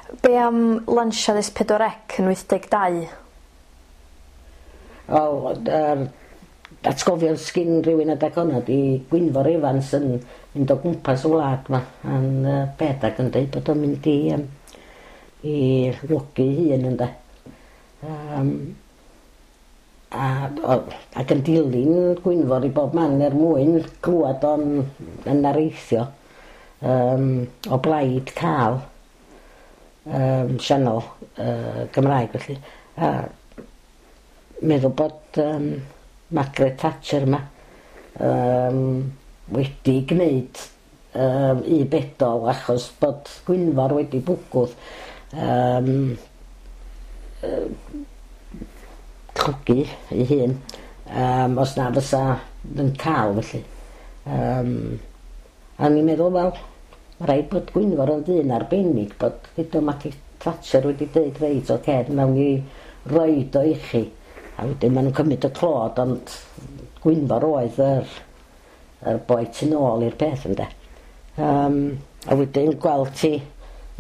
Be am lansiad S4C yn 82? Wel, yr atgofion sgin rhywun adag honna 'di Gwynfor Evans yn mynd o gwmpas y wlad 'ma yn beth ac yn deud bod o'n mynd i yym i logi 'i hun ynde. Yym a o ac yn dilyn Gwynfor i bob man er mwyn clwad o'n yn areithio yym o blaid ca'l yym sianel yy Gymraeg felly. A meddwl bod yym Margaret Thatcher 'ma yym wedi gneud yym 'i bedol achos bod Gwynfor wedi bwgwth yym yy llwgu ei hun yym os na fysa yn ca'l felly. Yym a o'n i'n meddwl wel ma' raid bod Gwynfor yn ddyn arbennig bod hyd yn Maggie Thatcher wedi deud reit ocê nawn ni roid o i chi a wedyn ma' nw'n cymryd y clod ond Gwynfor oedd yr yr boi tu nôl i'r peth ynde. Yym a wedyn gweld ti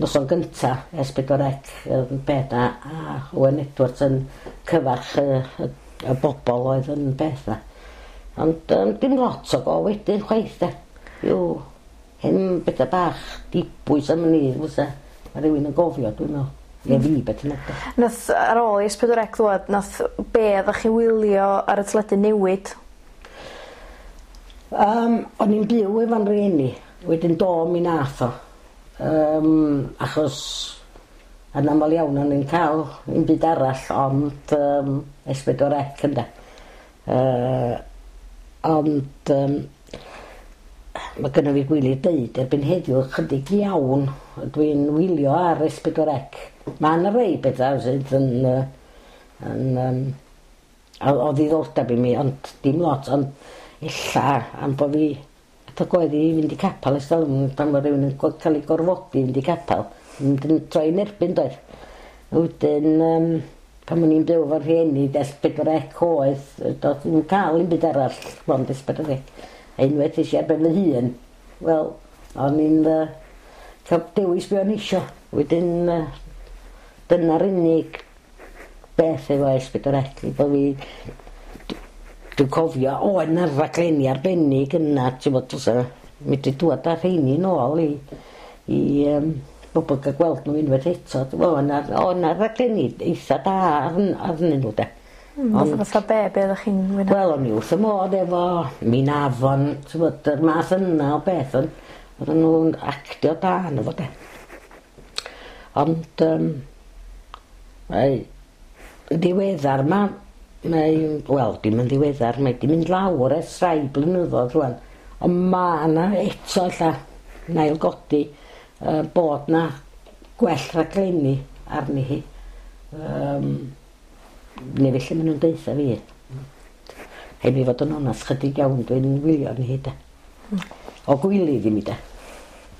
noson gynta S4C yn beth a a Owen Edwards yn cyfarch y y y bobol oedd yn beth 'na. Ond yym dim lot o go wedyn chwaith 'de. Ryw hen betha bach dibwys am wn i fysa ma' rywun yn gofio dwi'n me'wl. Ne' fi beth bynnag 'de. Nath ar ôl i S4C ddwad nath be' oddach chi wylio ar y teledu newid? Yym o'n i'n byw efo'n rieni wedyn do mi nath o. Yym achos yn amal iawn o'n i'n ca'l 'im byd arall ond yym S4C ynde? Yy ond yym ma' gynno fi gwilydd deud erbyn heddiw ychydig iawn dwi'n wylio ar S4C. Ma' 'na rei betha sydd yn yy yn yym o o ddiddordeb i mi ond dim lot ond ella am bo' fi Ac oedd i fynd i capel ers talwm pan ma' rywun yn go- ca'l 'i gorfodi i fynd i capel mynd yn troi yn erbyn doedd? A wedyn yym pan o'n i'n byw efo rhieni de S4C oedd yy do'dd ddim ca'l 'im byd arall mond S4C. A unwaith es i ar ben fy hun wel o'n i'n yy ca'l dewis be' o'n i isio. Wedyn yy dyna'r unig beth efo S4C bo' fi dwi'n cofio oedd 'na raglenni arbennig yna t'mod fysa medru dŵad â rheini nôl i i yym bobol ga'l gweld n'w unwaith eto dwi me'wl o' 'na o' 'na raglenni eitha da arn arnyn n'w 'de. Ond... Fatha be' be' oddach chi'n mwynhau? Wel o'n i wrth 'y modd efo Minafon t'mod yr math yna o beth on' odden nw'n actio da arno fo 'de. Ond yym mae yn ddiweddar 'ma mae wel dim yn ddiweddar mae 'di mynd lawr ers rhai blynyddodd rŵan on' ma' 'na eto ella yn ailgodi yy bod 'na gwell rhaglenni arni hi yym neu felly ma' nw'n deutha fi. Rhaid fi fod yn onast chydig iawn dwi'n wylio arni hi 'de. O gwilydd i mi 'de.